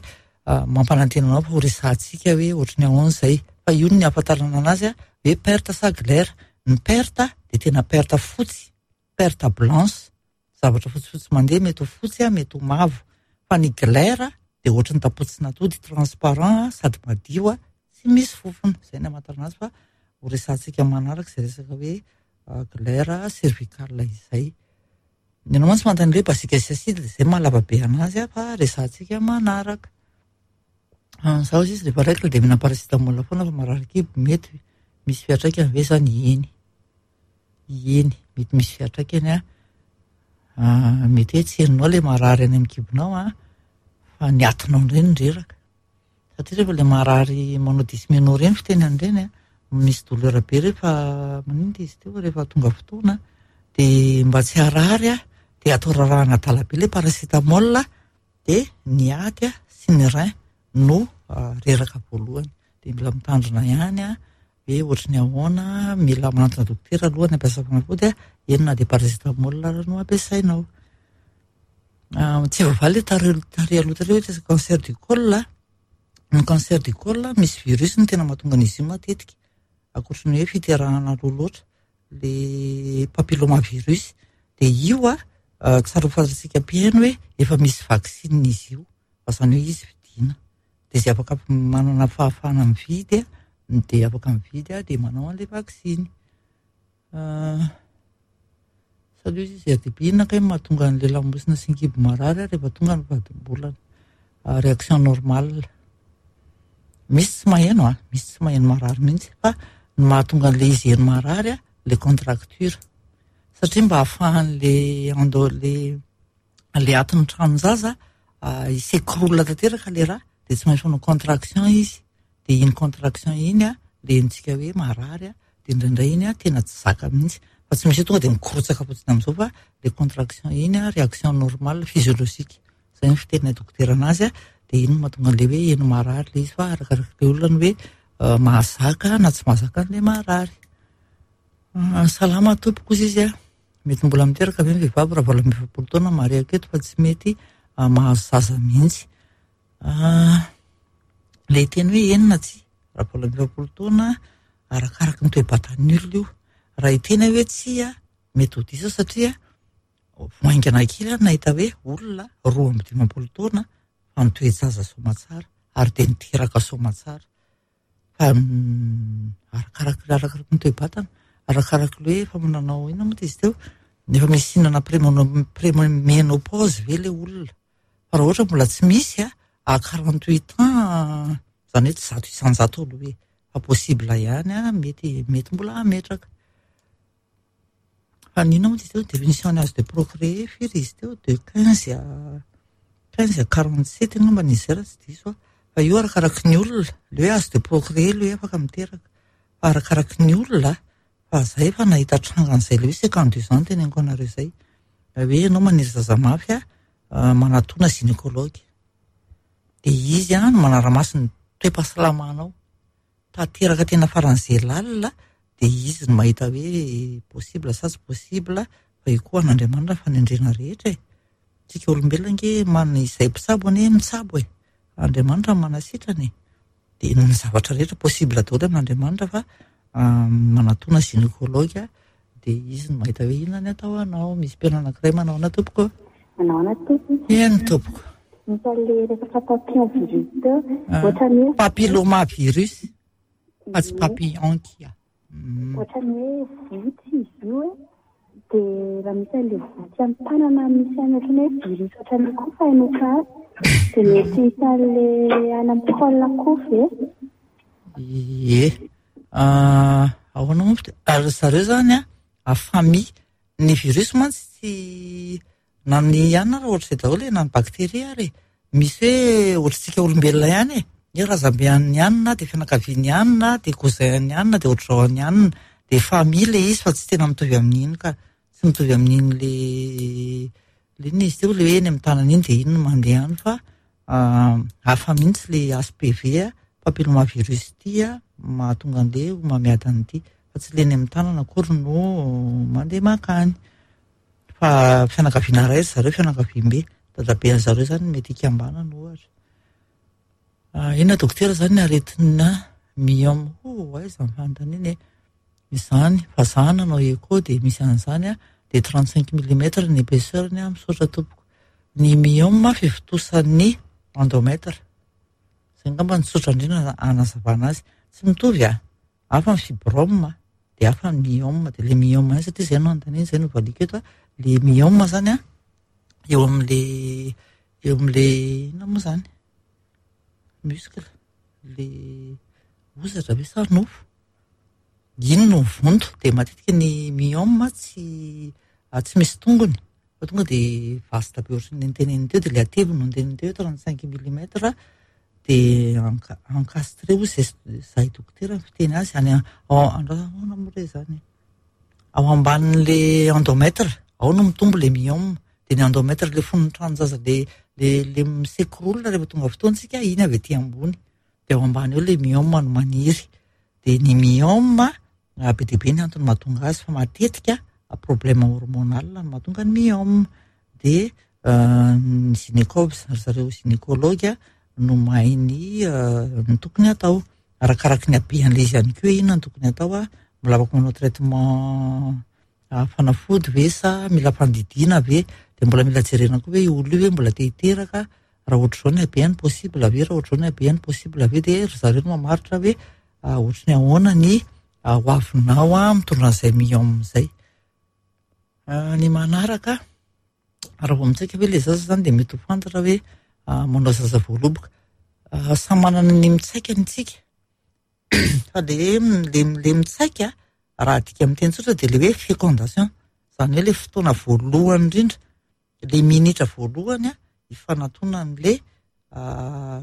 mampanantena anao fa ho resahantsika hoe ohatry ny ahoana izay. Fa io ny ahafantarana anazy a, hoe perte sa glaire. Ny perte dia tena perte fotsy, perte blanche, zavatra fotsifotsy mandeha, mety ho fotsy a, mety ho mavo. Fa ny glaire dia ohatry ny tapotsin'atody, transparent sady madio a, tsy misy fofona. Izay ny ahafantarana azy, fa ho resahantsika manaraka izay resaka hoe glaire cervicale izay. Ianao mantsy manontany hoe basique sy acide, dia izay mahalava be anazy a, fa resahantsika manaraka. Zaho izy rehefa règle dia mihinana paracétamol foana fa marary kibo, mety misy fiantraikany ve zany? Eny, eny, mety misy fiantraikany a. Mety hoe tsy henonao ilay marary any amin'ny kibonao a, fa ny atinao indray no reraka. Satria rehefa ilay marary manao dysménorrhée ireny fiteny an'ireny a, misy douleur be rehefa maninona izy teo rehefa tonga fotoana, dia mba tsy harary a, dia atao rarahana adala be ilay paracétamol, dia ny aty a sy ny rein no reraka voalohany. Dia mila mitandrina ihany a, hoe ohatry ny ahoana, mila manantona dokotera aloha ny ampiasa fanafody a, eny na dia paracétamol ara no ampiasainao. Tsy voavaly tary tary aloha tary hoe resaka cancer du col. Ny cancer du col misy virus no tena mahatonga an'izy io matetika, ankoatry ny hoe fiterahana aloha loatra, le papillomavirus. Dia io a, tsara ho fantatsika mpihaino hoe efa misy vaksiny izy io, fa izany hoe izy vidiana. Dia izay afaka manana fahafahana mividy a, dia afaka mividy a, dia manao an'ilay vaksiny. Salut izy R D B, inona kay mahatonga an'ilay lamosina sy ny kibo marary rehefa tonga ny vadim-bolana? Réaction normale. Misy tsy maheno a, misy tsy maheno marary mihitsy, fa ny mahatonga an'ilay izy heno marary a, le contracture. Satria mba ahafahan'le endo le le atin'ny tranon-jaza hi-s'écroule tanteraka le raha, dia tsy maintsy manao contraction izy. Dia iny contraction iny a, le henontsika hoe marary a, dia indraindray iny a tena tsy zaka mihitsy. Fa tsy misy hoe tonga dia mikorotsaka fotsiny amin'izao, fa le contraction iny a, réaction normale physiologique. Izay ny fiteninay dokotera anazy a, dia iny no mahatonga an'ilay hoe heno marary ilay izy, fa arakaraka ilay olona ny hoe mahazaka na tsy mahazaka an'ilay marary. Salama tompoko izy izy a, mety mbola miteraka ve ny vehivavy raha valo amby efapolo taona marihako eto fa tsy mety mahazo zaza mihitsy. Ilay teny hoe eny na tsia, raha valo amby efapolo taona arakaraky ny toe-batan'ny olona io. Raha hiteny hoe tsia, mety ho diso satria vao haingana kely aho nahita hoe olona roa amby dimampolo taona fa nitoe-jaza soamatsara ary dia niteraka soamatsara. Fa arakaraky arakaraky ny toe-batana, arakaraky ilay hoe efa nanao inona moa izy teo, efa misy hinana prémono- préménopause ve ilay olona, Fa raha ohatra mbola tsy misy a, à quarante-huit ans, izany hoe tsy zato isan-jato aloha e, fa possible ihany a, mety mety mbola hametraka. Fa n'inona moa izy teo, définition ny âge de procréer firy izy teo, de quinze à quinze à quarante-sept angambany izy zay raha tsy diso aho. Fa io arakaraky ny olona, le hoe âge de procréer le hoe afaka miteraka. Fa arakaraky ny olona, fa zay efa nahita trangan'izay le hoe cinquante-deux ans teneniko anareo izay. Hoe ianao maniry zaza mafy a, manatona gynécologue. De izy a no manara-maso ny toe-pahasalamanao. Tanteraka tena faran'izay lalina, de izy no mahita hoe possible sa tsy possible, fa io koa an'Andriamanitra ny fanendrena rehetra e. Tsika olombelona ange manana izay mpitsabo anie mitsabo e. Andriamanitra no manasitrana e. De ny zavatra rehetra possible daholo amin'Andriamanitra fa manatona gynécologue, de izy no mahita hoe inona ny atao anao. Misy mpianao anankiray manao ahoana tompoko?
Manao ahoana tompoko?
Eny tompoko.
Misy an'le resaka papillon virus teo. Ohatran'ny hoe
Papilloma virus fa tsy papillon kia.
Ohatran'ny hoe votsy izy io e. De raha misy an'le votsy amin'ny tanana misy any ohatran'ny hoe virus ohatran'ny koa fa hainoka azy. De mety hisy an'le any amin'ny col koa ve?
Ie. Ahoana moa? Ary zareo zany a, famille. Ny virus mantsy tsy na ny ihany raha ohatr'izay daholo e, na ny bakteria ary e. Misy hoe ohatr'tsika olombelona ihany e. Ny razambe an'ny hanina, de fianakaviany hanina, de cousin an'ny hanina, de ohatr'izao an'ny hanina. De famille le izy fa tsy tena mitovy amin'iny ka. Tsy mitovy amin'iny le le inona izy teo, le hoe eny amin'ny tanana iny de iny no mandeha any fa hafa mihitsy le H P V a, papillomavirus ity a, mahatonga an'le homamiadana ity. Fa tsy le eny amin'ny tanana akory no mandeha mankany. Fa fianakaviana iray ry zareo, fianakaviambe. Dadabe an' zareo zany mety hikambanana ohatra. Inona dokotera zany ny aretina myome? Oh, aiza ny fanontaniana e? Izany, fa za nanao écho de misy an'izany a, de trente-cinq millimètres ny épaisseur-ny a, misaotra tompoko. Ny myome fivotosan'ny endomètre. Izay angamba no tsotra indrindra hanazavana azy. Tsy mitovy a, hafa ny fibrome de hafa ny myome. De le myome iny satria izay no anontaniana, izay no valiako eto a. Le myome zany a, eo amin'le, eo amin'le inona moa zany? Muscle, le hozatra ve sa nofo? Iny no mivonto, de matetika ny myome tsy, tsy misy tongony. Fa tonga de vaste be ohatran'ny noteneniny teo, de le hateviny no noteneniny teo, trente-cinq millimètres, de enca-, encastré hoy zay, zay dokotera ny fiteny azy, any a-, ao, ahoana moa re zany? Ao ambanin'le endomètre, ao no mitombo le myome. De ny endomètre le fon'ny tranon-jaza le, le, le misekorolona rehefa tonga fotoana tsika, iny avy aty ambony. De ao ambany eo le myome no maniry. De ny myome, be dia be ny antony mahatonga azy, fa matetika problème hormonal no mahatonga ny myome. De ny gynéco, ry zareo gynécologue no mahay ny, ny tokony atao. Arakaraky ny habean'ilay izy ihany koa hoe inona no tokony atao a, mbola afaka manao traitement fanafody ve sa mila fandidiana ve? De mbola mila jerena koa hoe io olona io ve mbola te hiteraka, raha ohatr'izao ny habeany possible ve, raha ohatr'izao ny habeany possible ve, de ry zareo no mamaritra hoe ohatry ny ahoana ny ho avinao a mitondra an'izay myome izay. Ny manaraka, raha vao mitsaika ve le zaza zany de mety ho fantatra hoe manao zaza voaloboka. Samy manana ny mitsaika ny tsika. Fa le, le, le mitsaika, raha adika amin'ny teny tsotra de le hoe fécondation. Izany hoe le fotoana voalohany indrindra, le minitra voalohany a, ifanatonan'le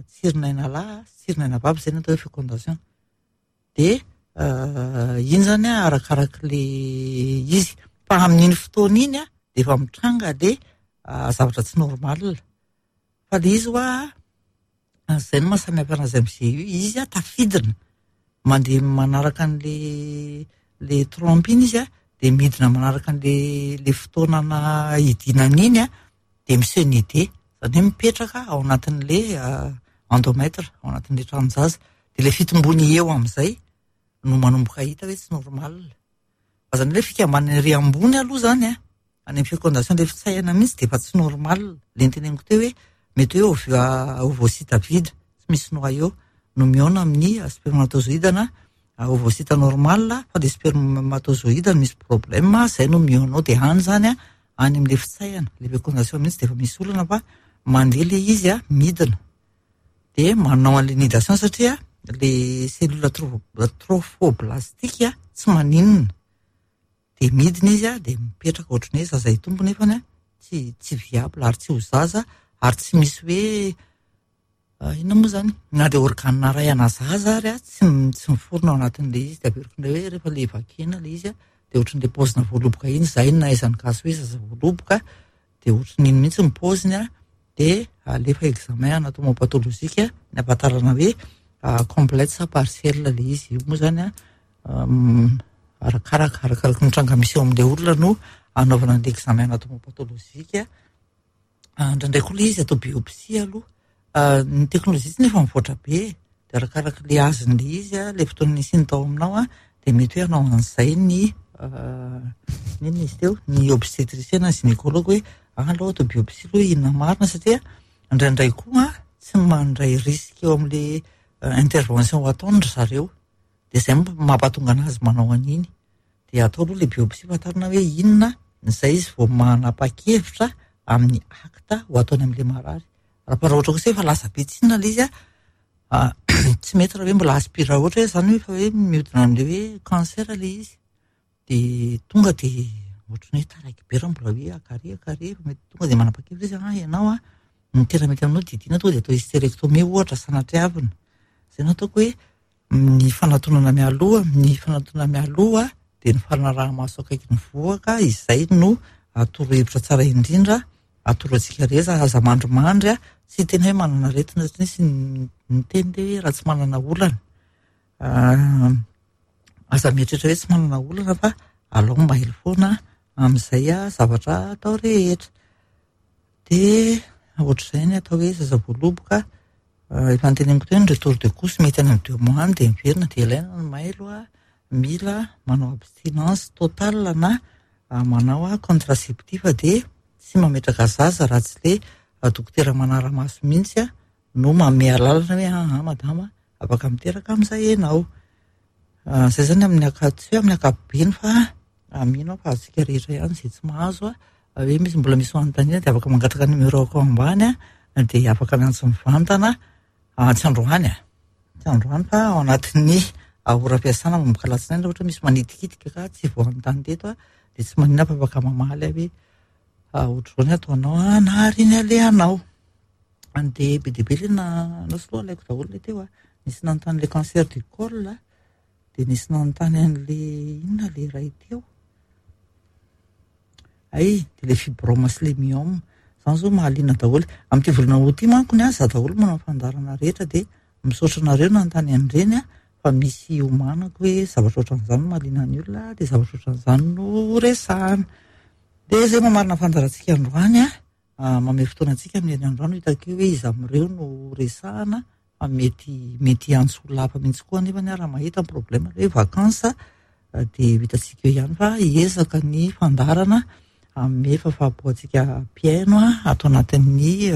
tsirinaina lahy sy tsirinaina vavy, izay no atao hoe fécondation. De iny zany a, arakarak'le izy. Fa amin'iny fotoana iny a, de efa mitranga le zavatra tsy normal. Fa le izy hoa, izay no mahasamihafa anazy amin'izay io, izy a tafidina. Mandeha manaraka an'le, le trompe iny izy a, de midina manaraka an'le, le fotoana na hidinana iny a, de miseho ny idée. Izany hoe mipetraka ao anatin'le endomètre, ao anatin'le tranon-jaza. De le fitombony eo amin'izay no manomboka hita hoe tsy normal. Fa izany hoe fikambanana ery ambony aloha zany a, any amin'ny fécondation le fitsaihana mihitsy de efa tsy normal. Le noteneniko teo hoe mety hoe ovu-, ovocyte vide, tsy misy noyau, no mihaona amin'ny spermatozoïde na ovocyte normal, fa le spermatozoïde no misy problème, zay no mihaona ao. De any zany a, any amin'le fitsaihana, le fécondation mihitsy de efa misy olana, fa Mandeha le izy a, midina. Dia manao an'le nidation satria le cellule trophoblastique tsy maninona. Dia midina izy a, dia mipetraka ohatran'ny hoe zaza hitombo nefany a, tsy tsy viable ary tsy ho zaza ary tsy misy hoe inona moa zany na dia organe iray ana zaza ary a tsy tsy miforona ao anatin'le izy. Dia averiko indray hoe rehefa le vakena le izy a, dia ohatran'le paozina voaloboka iny, zay no nahaizan'ny gasy hoe zaza voaloboka, dia ohatran'iny mihitsy ny paoziny a, dia alefa examen anatomopathologique ny ahafantarana hoe complète sa partielle le izy. Io moa zany a arakaraka arakaraka ny tranga misy eo amin'le olona no anaovana an'le examen anatomopathologique. Indraindray koa le izy atao biopsie aloha. Ny teknôlôjia tsy nefa mivoatra be, dia arakaraka le azon'le izy a, le fotoana nisiany tao aminao a, dia mety hoe hanao an'izay ny inona izy teo, ny obstétricien na gynécologue hoe aloha atao biopsie aloha inona marina, satria indraindray koa tsy mandray risque eo amin'le intervention ho ataony ry zareo, dia izay mampatonga anazy manao an'iny. Dia atao aloha le biopsie fantarina hoe inona, izay izy vao manapa-kevitra amin'ny acte ho ataony amin'le marary. Raha ohatra kosa efa lasa be tsinona le izy a, tsy mety raha hoe mbola aspire ohatra hoe zany hoe efa hoe mihodina amin'le hoe cancer le izy, dia tonga dia ohatran'ny hoe taraiky be raha mbola hoe akary akary, efa mety tonga dia manapa-kevitra izy, ah ianao a, ny tena mety aminao didiana tonga dia atao hystérectomie ohatra sanatriavina. Izay no ataoko hoe ny fanatonana mialoha, ny fanatonana mialoha dia ny fanaraha-maso akaiky ny vohoka, izay no atoro hevitra tsara indrindra atoro antsika rehetra. Aza mandrimandry a, tsy tena hoe manana aretina satria nisy niteny hoe raha tsy manana olana, aza mieritreritra hoe tsy manana olana fa alao mailo foana amin'izay a zavatra atao rehetra. Dia ohatr'izay ny atao hoe zaza voaloboka. Efa noteneniko teo ny retour de couche mety any amin'ny deux mois any dia miverina, dia ilaina ny mailo a, mila manao abstinence totale na manao contraceptif, dia tsy mametraka zaza raha tsy le dokotera manara-maso mihitsy a no manome alalana hoe ah madama afaka miteraka amin'izay ianao. Izay zany amin'ny aka- tsy hoe amin'ny ankapobeny fa mino aho fa azontsika rehetra ihany izay tsy mahazo a, hoe misy mbola misy fanontaniana dia afaka mangataka numéro ao ambany a, dia afaka miantso mivantana, tsy androany a, tsy androany fa ao anatin'ny ora fiasana manomboka alatsinainy raha ohatra misy manitikitika ka tsy voanontany teto a, dia tsy maninona fa afaka mamaly aho hoe ohatr'izao ny ataonao a, na ary iny alehanao. Dia be dia be le na anao sy loha alaiko daholo le teo a, nisy nanontany le cancer du col, dia nisy nanontany an'le inona le iray teo, ay dia le fibrome sy le myome, zany zao mahaliana daholo. Amin'ity volana août ity manko ny ahy, za daholo manao fandaharana rehetra, dia misaotra anareo nanontany an'ireny a, fa misy omanako hoe zavatra ohatran'izany no mahaliana ny olona, dia zavatra ohatran'izany no resahana. Dia izay mamarina fandaharantsika androany a, mamehy fotoana antsika amin'ny herinandro androany, hitako eo hoe iza amin'ireo no resahana, fa mety mety hiantso olona hafa mihitsy koa nefa raha mahita ny problème hoe vacances dia hitantsika eo ihany fa hiezaka ny fandaharana hanome fahafahampo-antsika mpihaino a ato anatin'ny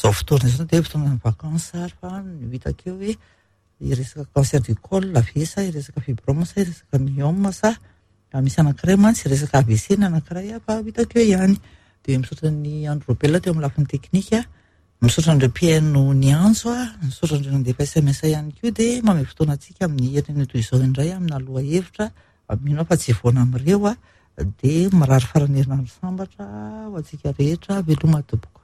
zao fotoana izao, dia fotoana ny vacances ary fa ny hitako eo hoe hiresaka cancer du col ve sa hiresaka fibrome sa hiresaka myome sa misy anankiray mantsy hiresaka A V C ny anankiray fa hitako eo ihany. Dia misaotra ny Andro Robela teo amin'ny lafiny teknika, misaotra an'ireo mpihaino niantso a, misaotra an'ireo nandefa S M S ihany koa, dia mamehy fotoana antsika amin'ny herinandro toy izao indray amina lohahevitra mino aho fa tsy hivoana amin'ireo a, dia mirary faran'ny herinandro sambatra ho antsika rehetra, veloma tompoko.